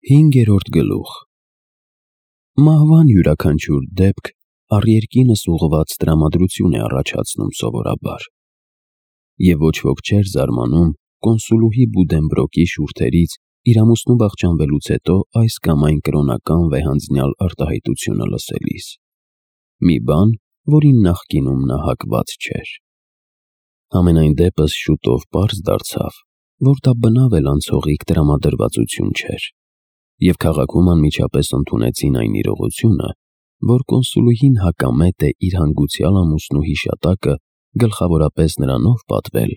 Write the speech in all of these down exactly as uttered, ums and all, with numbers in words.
Հինգերորդ գլուխ Մահվան յուրաքանչյուր դեպք առերկինս ուղղված տրամադրություն է առաջացնում սովորաբար, և ոչ ոք չէր զարմանում կոնսուլուհի Բուդենբրոկի շուրթերից իր ամուսնու վախճանվելուց հետո այս կամ այն կրոնական վեհանձնյալ արտահայտությունը լսելիս, մի բան, որին նախկինում նա հակված չէր։ Համենայն դեպս շուտով պարզ դարձավ, որ դա բնավ էլ անցողիկ տրամադրվածություն չէր, և քաղաքում անմիջապես ընդունեցին այն իրողությունը, որ կոնսուլուհին հակամետ է իր հանգուցյալ ամուսնու հիշատակը գլխավորապես նրանով պատվել,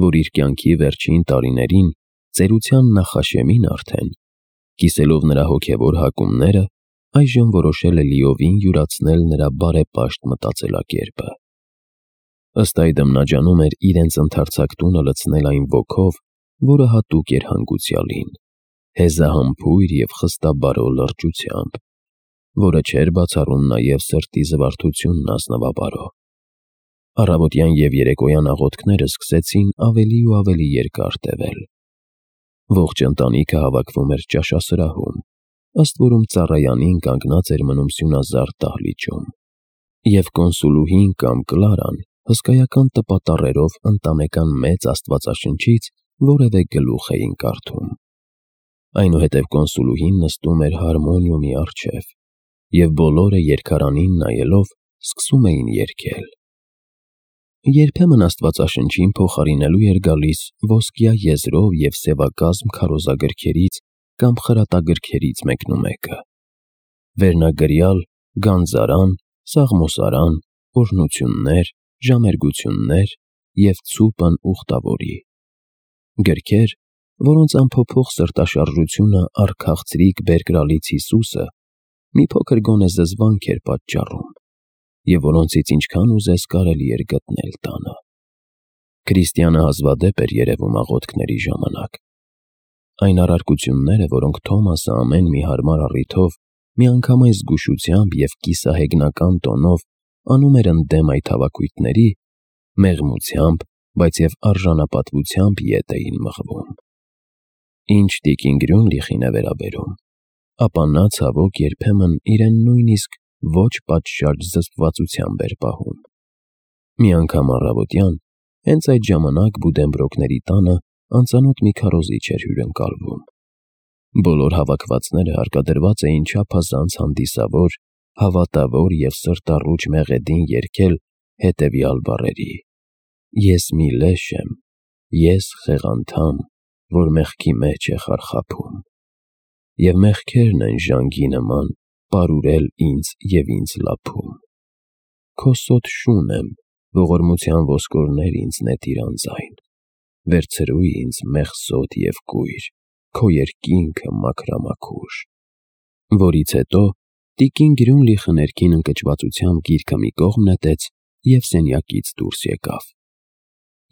որ իր կյանքի վերջին տարիներին ծերության նախաշեմին արդեն, կիսելով նրա հոգևոր հակումները, այժմ որոշել է լիովին յուրացնել նրա բարեպաշտ մտածելակերպը։ Ըստ այդմ նա ջանում էր իրենց ընդարձակ տունը լցնել այն ոգով, որը հատուկ էր հանգուցյալին, հեզահամբույր և խստաբարո լրջությամբ, որը չէր բացառում նաև սրտի զվարթությունն ազնվաբարո։ Առավոտյան և երեկոյան աղոթքները սկսեցին ավելի ու ավելի երկար տևել։ Ողջ ընտանիքը հավաքվում էր ճաշասրահում, ըստ որում ծառայանին կանգնած էր մնում սյունազարդ դահլիճում, և կոնսուլուհին կամ Կլարան հսկայական տպատառերով ընտանեկան մեծ աստվածաշնչից որևէ գլուխ էին կարդում։ Այնուհետև կոնսուլուհին նստում էր հարմոնիումի առջև, և բոլորը երգարանին նայելով սկսում էին երգել։ Երբեմն աստվածաշնչին փոխարինելու էր գալիս ոսկյա եզրով և սևակազմ քարոզագրքերից կամ խրատագրքերից մեկնումեկը, վերնագրյալ, գանձարան, սաղմոսարան, օրհնություններ, ժամերգություններ և ցուպն ուխտավորի։ Գրքեր, որոնց անփոփոխ սրտաշարժությունը առ քաղցրիկ բերկրալից Հիսուսը մի փոքր գոնե զզվանք էր պատճառում, և որոնցից ինչքան ուզես կարելի էր գտնել տանը։ Քրիստյանը հազվադեպ էր երևում աղոթքների ժամանակ։ Այն առարկությունները, որոնք Թոմասը ամեն մի հարմար առիթով, միանգամայն զգուշությամբ և կիսահեգնական տոնով անում էր ընդդեմ այդ հավաքույթների, մեղմությամբ, բայց և արժանապատվությամբ ետ էին մղվում։ Ինչ տիկին Գրյունլիխին է վերաբերում, ապա նա ցավոք երբեմն իրեն նույնիսկ ոչ պատշաճ զսպվածությամբ էր պահում։ Մի անգամ առավոտյան, հենց այդ ժամանակ Բուդենբրոկների տանը անծանոթ մի քարոզիչ էր հյուրընկալվում։ Բոլոր հավաքվածները հարկադրված էին չափազանց հանդիսավոր, հավատավոր և սրտառուչ մեղեդին երգել հետևյալ բառերի. «Ես մի լեշ եմ, ես խեղանդամ, որ մեղքի մեջ է խարխափում, և մեղքերն են ժանգի նման պարուրել ինձ և ինձ լափում։ Քո սոթ շուն եմ, ողորմության ոսկորներ ինձ նետիր անձայն, վերցրու ինձ մեղսոտ և կույր, քո երկինքը մաքրամաքուր»։ Որից հետո տիկին Գրյունլիխը ներքին ընկճվածությամբ գիրքը մի կողմ նետեց և սենյակից դուրս եկավ։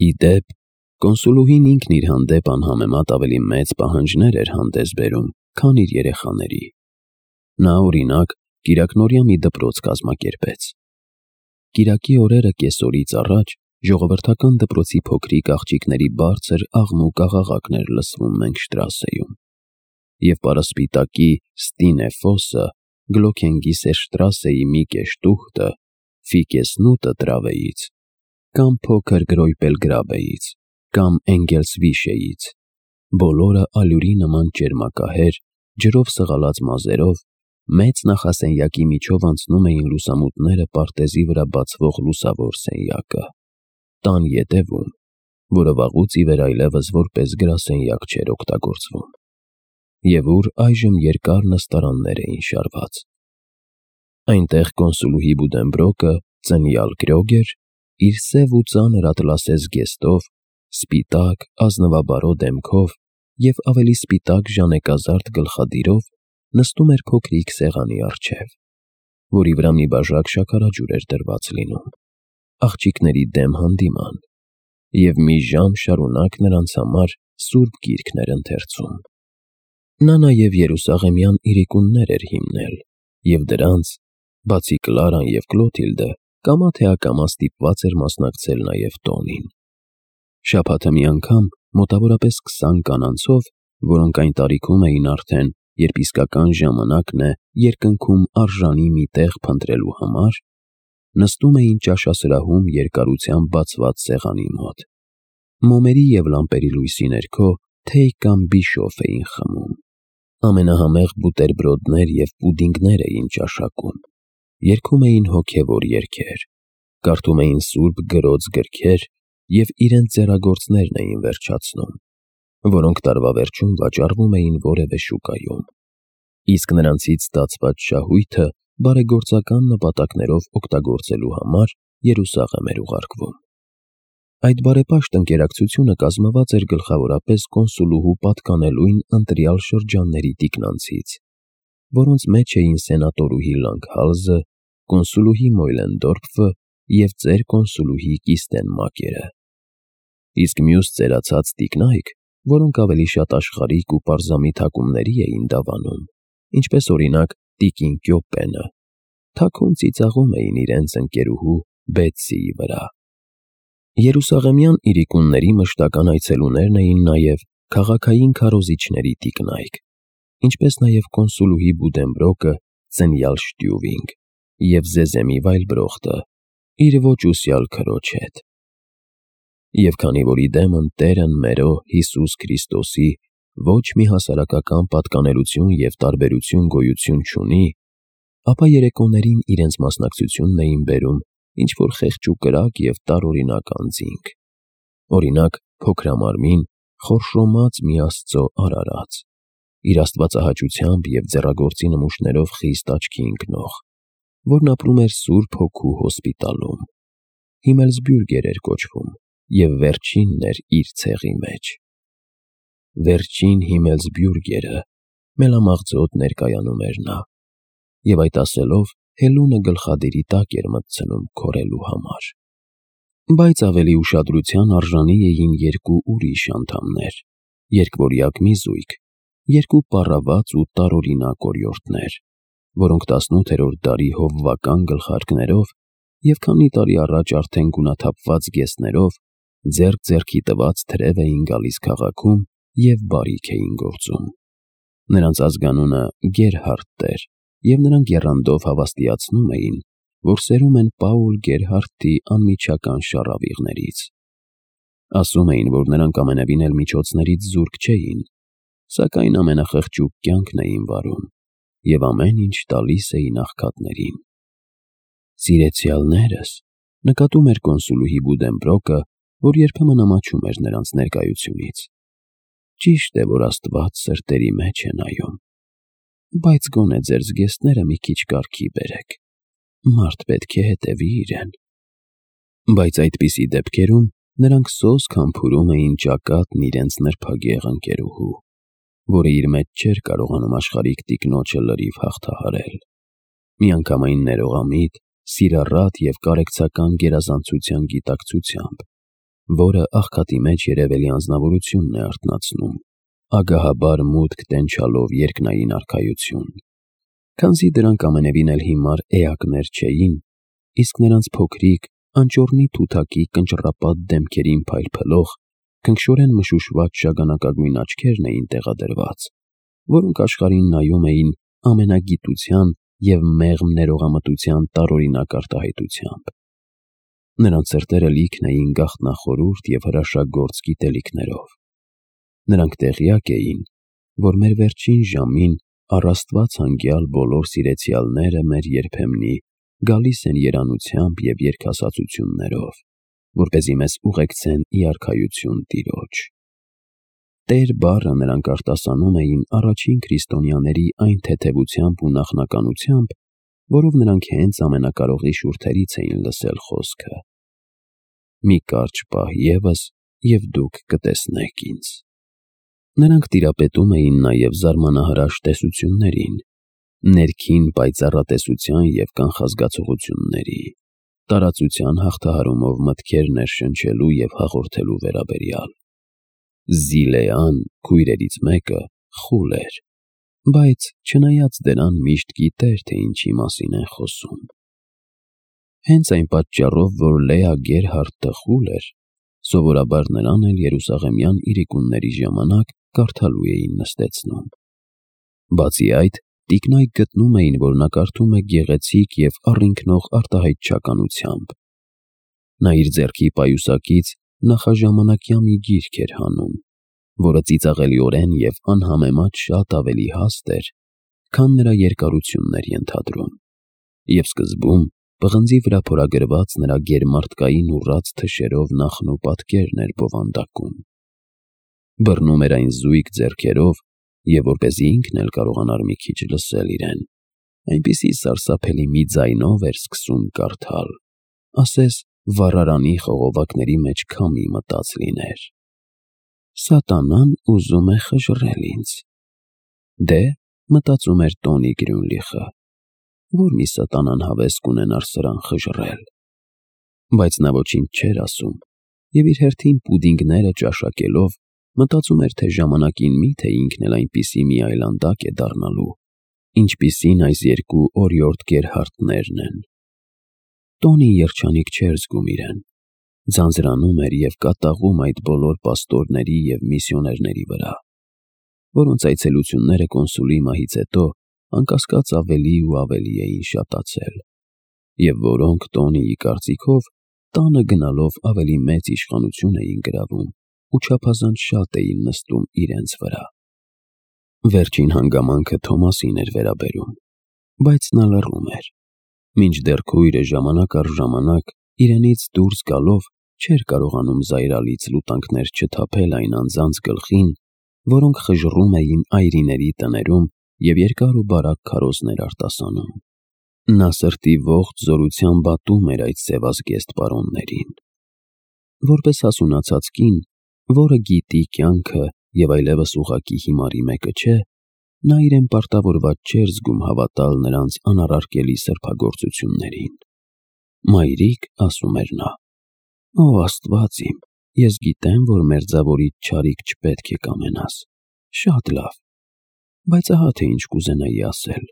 Ի դեպ, կոնսուլուհին ինքն իր հանդեպ անհամեմատ ավելի մեծ պահանջներ էր հանդես բերում, քան իր երեխաների։ Նա, օրինակ, կիրակնօրյա մի դպրոց կազմակերպեց։ Կիրակի օրերը կեսօրից առաջ ժողովրդական դպրոցի փոքրիկ աղջիկների բարձր աղմուկ-աղաղակն էր լսվում Մենքշտրասեում, և պարասպիտակի Ստինեֆոսը, Գլոքենգիսերշտրասեի Միկե Շտուխտը, Ֆիկեսնուտը Տրավեից, կամ փոքր Գրոյպելգրաբեից, կամ Էնգելսվիշեից, բոլորը ալյուրի նման ճերմակահեր, ջրով սղալած մազերով, մեծ նախասենյակի միջով անցնում էին լուսամուտները պարտեզի վրա բացվող լուսավոր սենյակը, տան ետևում, որը վաղուց ի վեր այլևս որպես գրասենյակ չէր օգտագործվում, և ուր այժմ երկար նստարաններ էին շարված։ Այնտեղ կոնսուլուհի Բուդենբրոկը, ծնյալ Կրոգեր, իր սև ու ծանր ատլասե զգեստով, սպիտակ, ազնվաբարո դեմքով և ավելի սպիտակ ժանեկազարդ գլխադիրով նստում էր փոքրիկ սեղանի առջև, որի վրա մի բաժակ շաքարաջուր էր դրված լինում, աղջիկների դեմ հանդիման, և մի ժամ շարունակ նրանց համար սուրբ գիրքն էր ընթերցում։ Նա նաև երուսաղեմյան իրիկուններ էր հիմնել, և դրանց, բացի Կլարան և Կլոթիլդը, կամա թե ակամա ստիպված էր մասնակցել նաև տոնին։ Շաբաթը մի անգամ մոտավորապես քսան կանանցով, որոնք այն տարիքում էին արդեն երբ իսկական ժամանակն է երկնքում արժանի մի տեղ փնտրելու համար, նստում էին ճաշասրահում երկարությամբ բացված սեղանի մոտ։ Մոմերի և լամպերի լույսի ներքո թեյ կամ բիշոֆ էին խմում։ Ամենահամեղ բուտերբրոդներ և պուդինգներ էին ճաշակում, երգում էին հոգևոր երգեր, կարդում էին սուրբ գրոց գրքեր և իրենց ձեռագործներն էին վերջացնում, որոնք տարվա վերջում վաճառվում էին որևէ շուկայում, իսկ նրանցից ստացված շահույթը բարեգործական նպատակներով օգտագործելու համար Երուսաղեմ էր ուղարկվում։ Այդ բարեպաշտ ընկերակցությունը կազմված էր գլխավորապես կոնսուլուհու պատկանելույն ընտրյալ շրջանների տիկնանցից, որոնց մեջ էին սենատորուհի Լանգհալզը, կոնսուլուհի Մոյլենդորֆը և ծեր կոնսուլուհի Կիստենմակերը։ Իսկ մյուս ծերացած տիկնայք, որոնք ավելի շատ աշխարհիկ ու պարզամիտ հակումների էին դավանում, ինչպես օրինակ տիկին Կյոպենը, թաքուն ծիծաղում էին իրենց ընկերուհու Բեթսիի վրա։ Երուսաղեմյան իրիկունների մշտական այցելուներն էին նաև քաղաքային քարոզիչների տիկնայք, ինչպես նաև կոնսուլուհի Բուդենբրոկը Ծնյալ Շտյուվինգ և Զեզեմի Վայլբրոխտը իր ոչ ուսյալ քրոջ հետ։ Եվ քանի որ իդեմն Տերն մերո Հիսուս Քրիստոսի ոչ մի հասարակական պատկանելություն և տարբերություն գոյություն չունի, ապա երեկոներին իրենց մասնակցությունն էին բերում ինչ-որ խեղճ ու կրակ և տարօրինակ անձինք, օրինակ փոքրամարմին, խորշոմած մի Աստծո արարած, իր աստվածահաճությամբ և ձեռագործի նմուշներով խիստ աչքի ընկնող, որն ապրում էր Սուրբ Հոգու հոսպիտալում, Հիմելսբյուրգեր էր կոչվում և վերջինն էր իր ցեղի մեջ։ Վերջին Հիմելսբյուրգերը մելամաղձոտ ներկայանում էր նա, և այդ ասելով հելունը գլխադիրի տակ էր մտցնում քորելու համար։ Բայց ավելի ուշադրության արժանի էին երկու ուրիշ անդամներ, երկվորյակ մի զույգ, երկու պառավաց ու տարօրինակ օրիորդներ, որոնք տասնութերորդ դարի հովվական գլխարկներով և քանի տարի առաջ արդեն գունաթափված գեսներով ձեռք ձեռքի տված թրև էին գալիս քաղաքում և բարիք էին գործում։ Նրանց ազգանունը Գերհարդտ էր, և նրանք եռանդով հավաստիացնում էին, որ սերում են Պաուլ Գերհարդտի անմիջական շառավիղներից։ Ասում էին, որ նրանք ամենևին էլ միջոցներից զուրկ չէին, սակայն ամենախղճուկ կյանքն էին վարում և ամեն ինչ տալիս էին աղքատներին։ Սիրեցյալներս, նկատում էր կոնսուլուհի Բուդենբրոկը, որ երբեմն ամաչում էր նրանց ներկայությունից, ճիշտ է, որ Աստված սրտերի մեջ է նայում, բայց գոնե ձեր զգեստները մի քիչ կարգի բերեք, մարդ պետք է հետևի իրեն։ Բայց այդպիսի դեպքերում նրանք սոսկ համբուրում էին ճակատն իրենց նրբագեղ ընկերուհու, որը իր մեջ չէր կարողանում աշխարհիկ տիկնոջը լրիվ հաղթահարել։ Միանգամայն ներողամիտ, սիրառատ և կարեկցական գերազանցության գիտակցությամբ, որը աղքատի մեջ երևելի անձնավորությունն է արթնացնում, ագահաբար մուտք տենչալով երկնային արքայություն։ Քանզի դրանք ամենևին էլ հիմար էակներ չէին, իսկ նրանց փոքրիկ, անճոռնի թութակի կնճռապատ դեմքերին փայլփլող, քնքշորեն մշուշված շագանակագույն աչքերն էին տեղադրված, որոնք աշխարհին նայում էին ամենագիտության և մեղմ ներողամտության տարօրինակ արտահայտությամբ։ Նրանց սրտերը լիքն էին գաղտնախորհուրդ և հրաշագործ գիտելիքներով։ Նրանք տեղյակ էին, որ մեր վերջին ժամին առ Աստված հանգյալ բոլոր սիրեցյալները մեր երբեմնի գալիս են երանությամբ և երգասացություններով, որպեսզի մեզ ուղեկցեն ի արքայություն Տիրոջ։ Տեր բառը նրանք արտասանում էին առաջին քրիստոնյաների այն թեթևությամբ ու նախնականությամբ, որով նրանք հենց ամենակարողի շուրթերից էին լսել խոսքը. «Մի կարճ պահ ևս, և դուք կտեսնեք ինձ»։ Նրանք տիրապետում էին նաև զարմանահրաշ տեսություններին, ներքին պայծառատեսության և կանխազգացողությունների, տարածության հաղթահարումով մտքեր ներշնչելու և հաղորդելու վերաբերյալ։ Զիլեան, քույրերից մեկը, խուլ էր, բայց չնայած դրան միշտ գիտեր, թե ինչի մասին են խոսում։ Հենց այն պատճառով, որ Լեա Գերհարդտը խուլ էր, սովորաբար նրան էլ երուսաղեմյան իրիկունների ժամանակ կարդալու էին նստեցնում։ Բացի այդ, տիկնայք գտնում էին, որ նա կարդում է գեղեցիկ և առինքնող արտահայտչականությամբ։ Նա իր ձեռքի պայուսակից նախաժամանակյա մի գիրք էր հանում, որը ծիծաղելիորեն և անհամեմատ շատ ավելի հաստ էր, քան նրա երկարությունն էր ենթադրում, և սկզբում պղնձի վրա փորագրված նրա գերմարդկային ուռած թշերով նախն ու պատկերն էր բովանդակում։ Բռնում էր այն զույգ ձեռքերով, և որպեսզի ինքն էլ կարողանար մի քիչ լսել իրեն, այնպիսի սարսափելի մի ձայնով էր սկսում կարդալ, ասես վառարանի խողովակների մեջ քամի մտած լիներ. «Սատանան ուզում է խժռել ինձ»։ Դե, մտածում էր Տոնի Գրյունլիխը, որ մի սատանան հավես կունենար սրան խժռել։ Բայց նա ոչինչ չէր ասում, և իր հերթին պուդինգները ճաշակելով մտածում էր, թե ժամանակին մի՞թե ինքն էլ այնպիսի մի այլանդակ է դառնալու, ինչպիսին այս երկու օրիորդ գերհարդներն են։ Տոնին երջանիկ չէր զգում իրեն, ձանձրանում էր և կատաղում այդ բոլոր պաստորների և միսիոներների վրա, որոնց այցելությունները կոնսուլի մահից հետո անկասկած ավելի ու ավելի էին շատացել, և որոնք Տոնիի կարծիքով տանը գնալով ավելի մեծ իշխանություն էին գրավում ու չափազանց շատ էին նստում իրենց վրա։ Վերջին հանգամանքը Թոմասին էր վերաբերում, բայց նա լռում էր, մինչդեռ քույրը ժամանակ առ ժամանակ իրենից դուրս գալով չէր կարողանում զայրալից լուտանքներ չթափել այն անձանց գլխին, որոնք խժռում էին այրիների տներում և երկար ու բարակ քարոզներ արտասանում։ Նա սրտի ողջ զորությամբ ատում էր այդ սևազգեստ պարոններին։ Որպես հասունացած կին, որը գիտի կյանքը և այլևս ուղղակի հիմարի մեկը չէ, նա իրեն պարտավորված չէր զգում հավատալ նրանց անառարկելի սրբագործություններին։ «Մայրիկ», ասում էր նա, «Ո Աստված իմ, ես գիտեմ, որ մերձավորիդ չարիք չպետք է կամենաս, շատ լավ, բայց ահա թե ինչ կուզենայի ասել.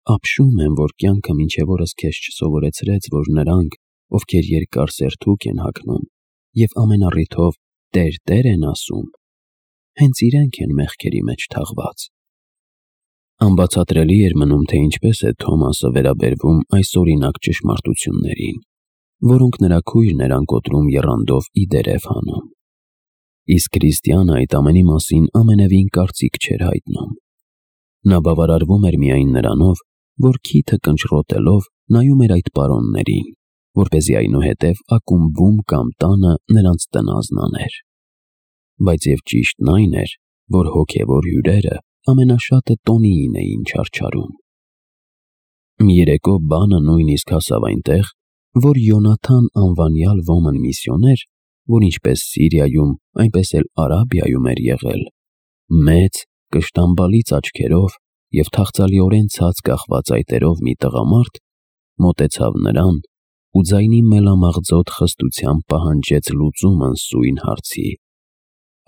ապշում եմ, որ կյանքը մինչև օրս քեզ չսովորեցրեց, որ նրանք, ովքեր երկար սերթուկ են հագնում և ամեն առիթով Տեր, Տեր են ասում, հենց իրենք են մեղքերի մեջ թաղված»։ Անբացատրելի էր մնում, թե ինչպես է Թոմասը վերաբերվում այս օրինակ ճշմարտություններին, որոնք նրա քույրն էր անկոտրում եռանդով ի դերև հանում։ Իսկ քրիստյանը այդ ամենի մասին ամենևին կարծիք չէր հայտնում։ Նա բավարարվում էր միայն նրանով, որ քիթը կնճռոտելով նայում էր այդ պարոններին, որպեսզի այնուհետև ակումբում կամ տանը նրանց տնազն աներ։ Բայց և ճիշտն այն էր, որ հոգևոր հյուրերը ամենաշատը Տոնիին էին չարչարում։ Մի երեկո բանը նույնիսկ հասավ այնտեղ, որ Յոնաթան անվանյալ ոմն միսիոներ, որ ինչպես Սիրիայում, այնպես էլ Արաբիայում էր եղել, մեծ, կշտամբալից աչքերով և թախծալիորեն ցած կախված այտերով մի տղամարդ, մոտեցավ նրան ու ձայնի մելամաղձոտ խստությամբ պահանջեց լուծումն սույն հարցի.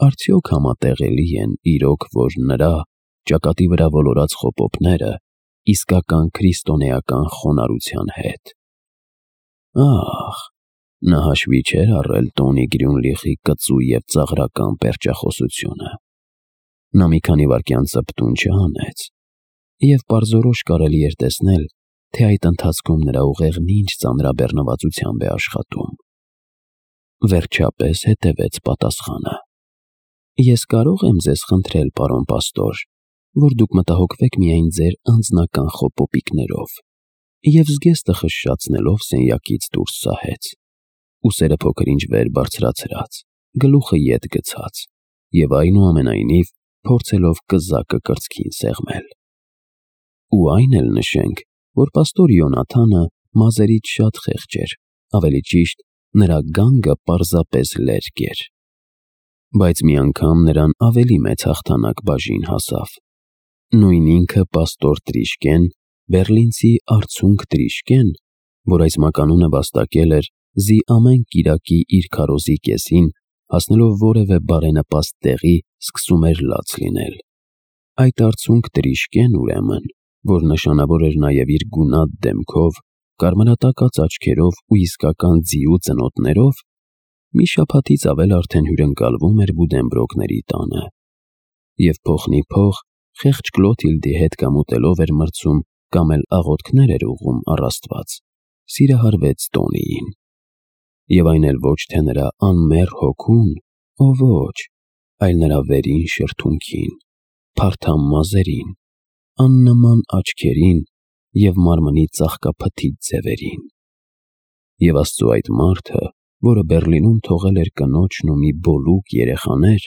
արդյոք համատեղելի են իրոք, որ նրա ճակատի վրա ոլորած խոպոպները իսկական քրիստոնեական խոնարհության հետ։ Ահ, նա հաշվի չէր առել Տոնի Գրյունլիխի կծու և ծաղրական պերճախոսությունը։ Նա մի քանի վայրկյան ծպտուն չհանեց, և պարզորոշ կարելի էր տեսնել, թե այդ ընթացքում նրա ուղեղն ինչ ծանրաբեռնվածությամբ է աշխատում։ Վերջապես հետևեց պատասխանը. «Ես կարո՞ղ եմ ձեզ խնդրել, պարոն պաստոր, որ դուք մտահոգվեք միայն ձեր անձնական խոպոպիկներով»։ Եվ զգեստը խշշացնելով սենյակից դուրս սահեց, ուսերը փոքր-ինչ վեր բարձրացրած, գլուխը ետ գցած և այնուամենայնիվ փորձելով կզակը կրծքին սեղմել։ Ու այն էլ նշենք, որ պաստոր Յոնաթանը մազերից շատ խեղճ էր, ավելի ճիշտ, նրա գանգը պարզապես լերկ էր։ Բայց մի անգամ նրան ավելի մեծ հաղթանակ բաժին հասավ։ Նույն ինքը պաստոր Տրիշկեն, բեռլինցի արցունք Տրիշկեն, որ այս մականունը վաստակել էր զի ամեն կիրակի իր քարոզի կեսին, հասնելով որևէ բարենպաստ տեղի, սկսում էր լաց լինել։ Այդ արցունք Տրիշկեն, ուրեմն, որ նշանավոր էր նաև իր գունատ դեմքով, կարմրատակած աչքերով ու իսկական ձիու ծնոտներով, մի շաբաթից ավել արդեն հյուրընկալվում էր Բուդենբրոկների տանը, և փոխնիփոխ խեղճ Կլոթիլդի հետ կամ ուտելով էր մրցում, կամ էլ աղոթքներ էր ուղղում առ Աստված, սիրահարվեց Տոնիին։ Եվ այն էլ ոչ թե նրա անմեռ հոգուն, օ ոչ, այլ նրա վերին շրթունքին, փարթամ մազերին, աննման աչքերին և մարմնի ծաղկափթիթ ձևերին։ Եվ Աստծու այդ մարդը, որը Բեռլինում թողել էր կնոջն ու մի բոլուկ երեխաներ,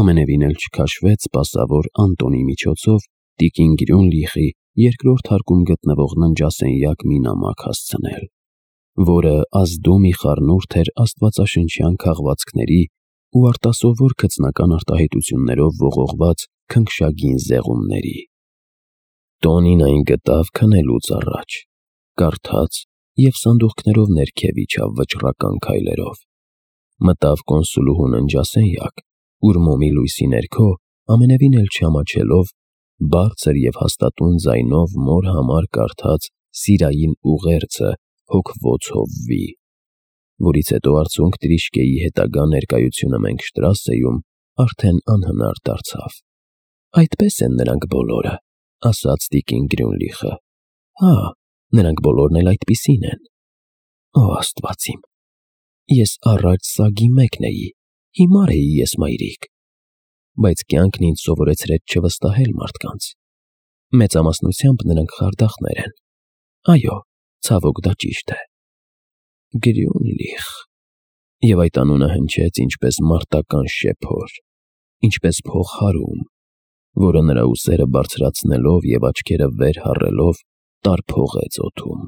ամենևին էլ չքաշվեց սպասավոր Անտոնի միջոցով տիկին Գրյունլիխի երկրորդ հարկում գտնվող ննջասենյակ մի նամակ հասցնել, որը ազդու մի խառնուրդ էր աստվածաշնչյան քաղվածքների ու արտասովոր գծնական արտահայտություններով ողողված քնքշագին զեղումների։ Տոնին այն գտավ քնելուց առաջ, կարդաց և սանդուղքներով ներքև իջավ վճռական քայլերով։ Մտավ կոնսուլուհու ննջասենյակ, ուր մոմի լույսի ներքո, ամենևին էլ չամաչելով, բարձր և հաստատուն ձայնով մոր համար կարդաց սիրային ուղերձը հոգվոց հովվի, որից հետո արցունք Տրիշկեի հետագա ներկայությունը Մենգշտրասեում արդեն անհնար դարձավ։ «Այդպես են նրանք բոլորը», ասաց տիկին Գրյունլիխը։ «Հա, նրանք բոլորն էլ այդպիսին են»։ Օ Աստված իմ, ես առաջ սագի մեկն էի, հիմար էի ես, մայրիկ, բայց կյանքն ինձ սովորեցրեց չվստահել մարդկանց։ Մեծամասնությամբ նրանք խարդախներ են։ Այո, ցավոք դա ճիշտ է։ Գրյունլիխ… Եվ այդ անունը հնչեց ինչպես մարտական շեփոր, ինչպես փողհարում, որը նրա ուսերը բարձրացնելով և աչքերը վեր հառելով տարփողեց օդում։